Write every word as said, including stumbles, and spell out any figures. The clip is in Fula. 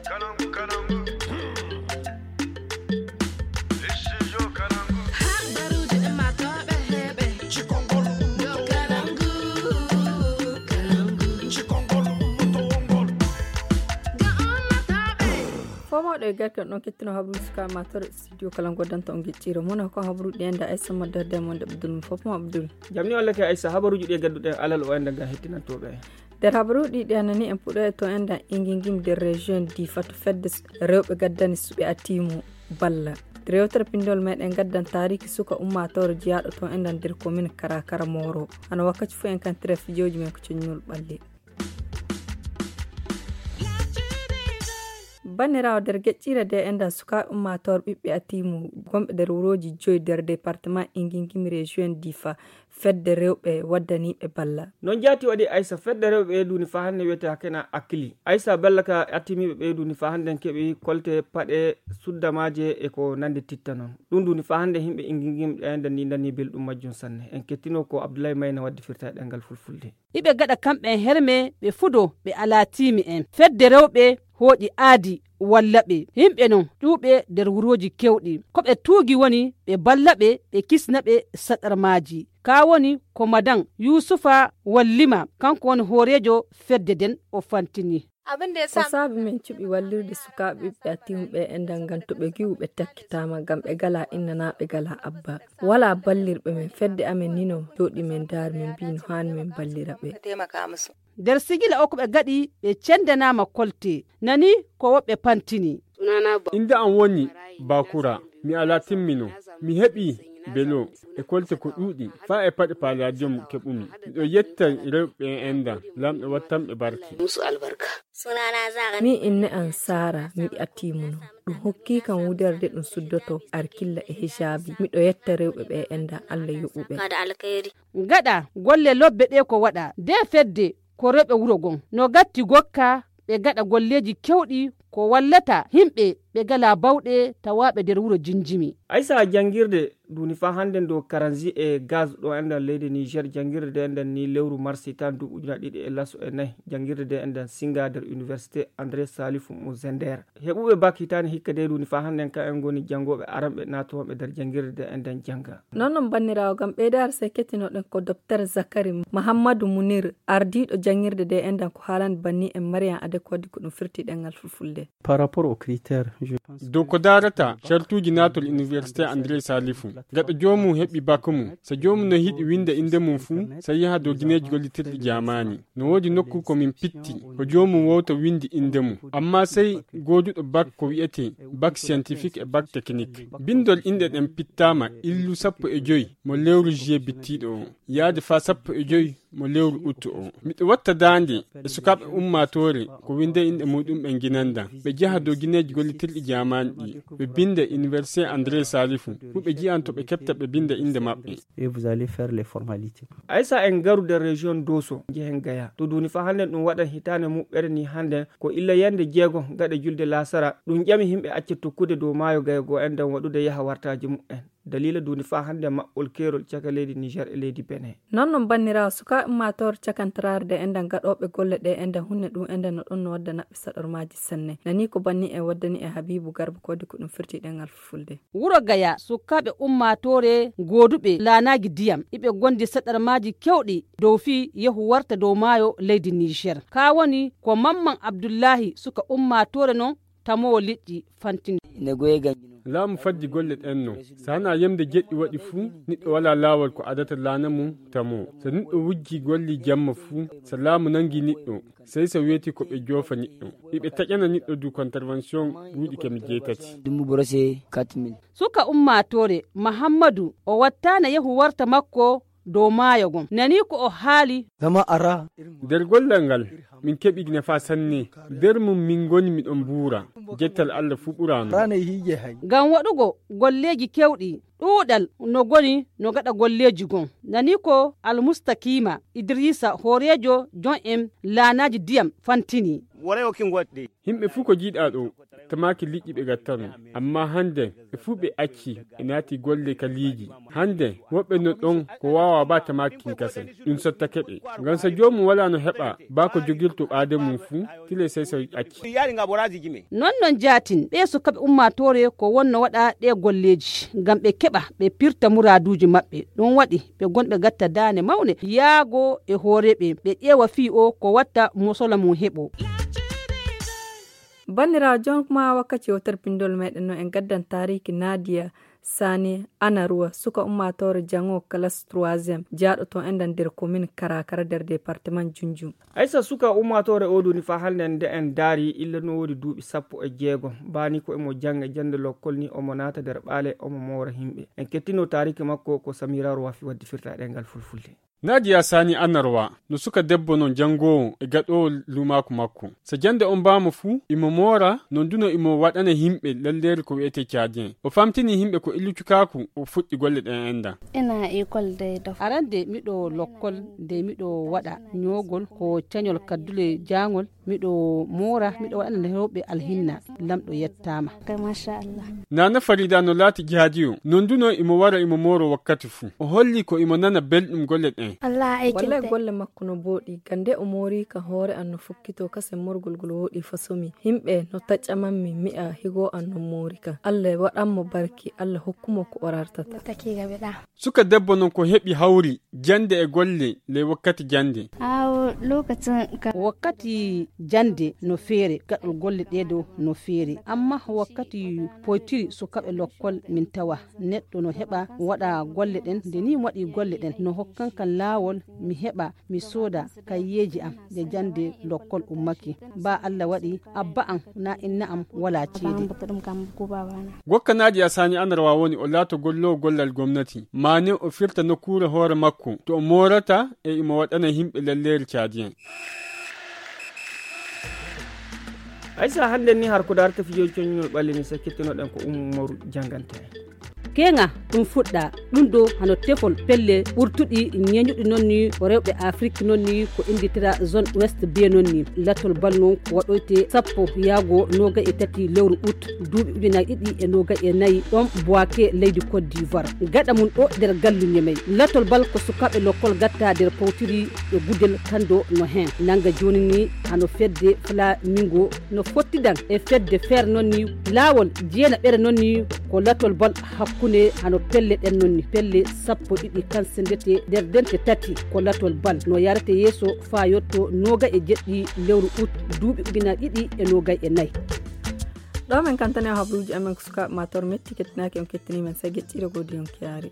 Fomooɗo e garke on ɗon kettino habru suka matore studio kala ngodanta on gecciro mona ko habruɗi enda aysa maddarde e monde abdul mo fof mo abdul. Jamni on lake aysa habaruji ɗi e gadduɗen alal o enda ga hettinantoɓe. Nder habaruɗi ɗi anani en puɗo e to enda ingingim nder région di fatu fedde rewɓe gaddani suɓe atimu balla. Rewtere pindol meɗen gaddan tariki suka ummatore jiyaɗo to enda nder commune karakara moro ana wakkaci fu en kan tref fijoji men ko coñnol ɓalli. Banniraawo nder geƴƴiire de enda sukaaɓe ummaatoor ɓiɓɓe atiimu gomɓe nder wurooji joyi nder departement ingingimi région difa. Fedde rewɓe waddaniiɓe balla. Noon jaati waɗi aysa fedde rewɓe ɓeyduni faa hannde wiyetee hakena akkili aysa balla ka attimiiɓe ɓeyduni faa hannde keɓi kolte paɗe suddamaaje e ko nandi titta noon. Ɗum duni faa hannde yimɓe ingingimi ɗe enda ni nani belɗum majjum sanne en kettino ko abdoulaye mayna waddi firta e ɗengal fulfulde. Iɓe gaɗa kamɓe en herme ɓe fudo ɓe alaa tiimi en fedde rewɓe hooƴi aadi walla ɓe yimɓe non ƴuuɓe nder wurooji kewɗi ko ɓe tuugi woni ɓe balla ɓe ɓe kisna ɓe saɗarmaaji. Kaa woni ko madan yuusufa wallima kanko woni hooreejo fedde nden o fantini. Ko saabi men cuɓi wallirde sukaaɓe ɓiɓɓe atimu ɓe e ndangan to ɓe giwu ɓe takkitaama ngam ɓe galaa inna naa ɓe galaa abba. Walaa ballirɓe men fedde amen nino jooɗi men ndaari min mbii no haani min ballira ɓe. Nder sigila o ko ɓe gaɗi ɓe cendanaama kolte nani ko woɓɓe pantini. Innde am woni Bakura. Mi alaa timmino. Mi heɓi belo e kolte ko ɗuuɗi faa e paɗe palladium keɓumi. Miɗo yetta rewɓe e endan. Laamɗo wattanɓe barke. Min inne am saara miɗi attimuno. Ɗum hokkii kam wuderde ɗum suddoto arkilla e hijaabi. Miɗo yetta rewɓe ɓe endan Allah yoɓuɓe. Gaɗa golle lobbe ɗe ko waɗa nde fedde ko rewɓe wuro gon no gatti gokka ɓe gaɗa golleeji kewɗi ko wallata yimɓe ɓe galaa bawɗe tawaaɓe nder wuro jinjimi. Aysa janngirde duuni faa hannden dow karanzi e gaz ɗo enɗan leydi niger janngirde nde enɗan ni lewru marsi tan duuɓi ujuna ɗiɗi e laso e nayi. Janngirde nde enɗan singa nder université andré salifu mo zender. Heɓuɓe bak hitaani hikka dey ɗum ni faa hannden ka en ngoni janngooɓe aranɓe naatooɓe nder janngirde nde enɗan jannga. Non non banniraawo ngam ɓeydaare sey kettinoɗen ko dopter zakari mahammadu munir ardiiɗo janngirde nde enɗan ko haalande banni en mariyan ade ko waddi ko ɗum firti ɗenngal fulfulde. Par rapport au critère je pense dow ko daarata cartuuji naatol université andré salifu gaɗa joomum heɓi bak mum so joomum no hiɗi winnda innde mum fuu so yaha dow gineeji gollitirɗi jaamaani. No woodi nokku ko min pitti ko joomum wowta winndi innde mum amma sey gooduɗo bak ko wi'etee bak scientifique e bak technique. Binndol inɗe ɗen pittaama illu sappo e joy mo lewru juillet bittiiɗo o yaade faa sappo e joy mo lewru uttu o. Miɗo watta daande e sukaaɓe ummaatoore ko winnde inɗe muuɗum ɓe nginandan ɓe njaha dow gineeji gollitirɗi jaamaani ɗi ɓe binnda université andré salifu fuu ɓe nji'an to ɓe keɓta ɓe binnda innde maɓɓe. Et vous allez faire les formalités. Aysa en ngaru nder région doso njehen gaya to duuni faa hannden ɗum waɗan hitaande muɓɓere ni hannden ko illa yannde jeego gaɗa julde laasara. Ɗum ƴami yimɓe acca tokkude dow maayo gaya goo enɗan waɗude yaha wartaaji muɓɓen. Daliila duuni faa hannden maɓɓol keerol caka leydi niger e leydi benin. Non non banniraawo sukaaɓe ummaatoore cakantaraare ɗe enɗan gaɗooɓe golle ɗe enɗan hunne ɗum enɗan no ɗon no wadda naɓɓe saɗormaaji sanne nanii ko banni en waddani e habiibu garba koode ko ɗum firti ɗengal fulfulde. Wuro gaya sukaaɓe ummaatoore gooduɓe laanaaji diyam iɓe ngondi saɗarmaaji kewɗi dow fii yehu warta dow maayo leydi niger kaa woni ko mamman abdullahi suka ummaatoore non. Tamoowo liƴƴi fantini. Laamu faddi golle ɗen no so hanaa yemde jeɗɗi waɗi fuu. Niɗɗo walaa laawol ko adata laana mum tamoo so niɗɗo wujji golli jamma fuu so laamu nangi niɗɗo sey so weeti ko ɓe joofa niɗɗo. Iɓe taƴana niɗɗo du contravention buuɗi kemi jeetati. Dumbu borose quatre mille. Suka ummaatoore mahammadu o wattaana yehu warta makko dow maayo ngon nanii ko o haali. Nder gollal ngal min keɓi nafaa sanne. Nder mum min ngoni miɗon mbuura. Jettal allah fuu ɓuraano. Ngam waɗugo golleeji kewɗi ɗuuɗal no ngoni no gaɗa golleeji ngon nanii ko almustakiima idriisa hooreejo jon en laanaaji diyam fantini. Yimɓe fuu ko jiiɗaa ɗo. Tamaaki liƴƴi ɓe gattano. Amma hande ɓe fuu ɓe acci, ɓe naati golle kaliiji. Hande woɓɓe no ɗon ko waawa ba tamaaki kin kasen. Ɗum sottake ɓe. Ngam so joomum walaa no heɓa ba ko jogirto ɓaade mum fuu, tile sey so acci. Non non jaatin ɓe sukaaɓe ummaatoore ko wonno waɗa ɗe golleeji ngam ɓe keɓa ɓe pirta muraaduuji maɓɓe. Ɗum waɗi ɓe gonɓe gatta daane mawne yaago e hooreeɓe ɓe ƴeewa fii o ko watta mosola mum heɓo. Banndiraawo, jonko ma wakkati o terpindol meɗen no en gaddan taariki Nadia Sani Anaruwa, suka ummaatoore jango kalas troisième, jaaɗo to enɗan nder komin Karakara nder departement Junju. Aysa, suka ummaatoore o duni fa hannde nde en daari illa no woodi duuɓi sappo e jeego. Baani ko emo jannga jannde lokkol ni omo naata nder ɓaale omo moora himɓe. En kettino taariki makko ko Samira Rowafi waddi firta ɗengal fulfulde. Nadia Sani Anarwa no suka debbo non janngoowo e gaɗoowo luumaaku makko. So jannde on mbaama fuu, imo moora, non duno imo waɗana himɓe lalleeri ko wi'etee caadiyen. O famtini himɓe ko illu cukaaku o fuɗɗi golle ɗen enda. Ina école day dof. Arande miɗo lokkol de miɗo waɗa ñoogol ko cañol kaddule jaangol, miɗo moora, miɗo waɗana rewɓe alhinna. Lamɗo yettaama. Kay, machallah. Nana Farida no laati jaadiyo, non duno imo wara imo mooro wakkati fuu. O holli ko imo nana belɗum golle ɗen. Wallay golle makko no booɗi, gande o moori ka hoore an no fukkito kasen morgol ngol wooɗi fasomi. Himɓe no taƴƴamammi mi'a higo an no moori ka. Allah waɗan mo barki, Allah hokku mo ko o rartata. Suka debbo non ko heɓi hawri jannde e golle ley wakkati jannde. Awo lokacin ka. Wakkati jannde no feere, gaɗol golle ɗee ɗo no feere. Amma wakkati poytiri sukaaɓe lokkol min tawa neɗɗo no heɓa waɗa golle ɗen. Nde ni mi waɗi golle ɗen no hokkan kan laawol mi heɓa mi sooda kayyeeji am nde jannde lokkol ummake. Ba Allah waɗi abba am na inna am wala ceede. Gokka Nadia Sani Anarwa woni o laato golloowo gollal gomnati, maane o firta nokkuure hoore makko to o moorata e imo waɗana himɓe lalleeri caadiyen. Aysa, hannde ni har ko darta fijo coñol ɓalli ni sakkitinoɗen ko Ummaru Jangante. Keŋa ɗum fuɗɗa ɗum ɗo hano tefol pelle ɓurtuɗi ñeñuɗi noon ni ko rewɓe Afrik noon ni ko innditira zone ouest be noon ni. Latol bal noon ko waɗoyte sappo yaago noogay e tati lewru ut duuɓi ujunaaji ɗiɗi e noogay e nayi ɗoon Boake leydi Côte d'Ivoire. Gaɗa mum ɗo nder gallu Ñemey. Latol bal ko sukaaɓe lokkol gatta nder powtiri ɗo Gudel Kando no heen. Nannga jooni ni hano fedde Flamingo no fottidan e fedde feere noon ni laawol jeenaɓere noon ni ko latol bal hakkunde hano pelle ɗen noon ni pelle sappo ɗiɗi kan sendete nder dente tati ko latol bal no yarete yeeso faa yotto nooga e jeɗɗi lewru ut duuɓi ujunaaji ɗiɗi e noogay e nayi. Ɗo men kantane o habruuji amen ko sukaaɓe ma tor metti kettinaaki on kettini men sey geɗɗiire godi on kiyaari.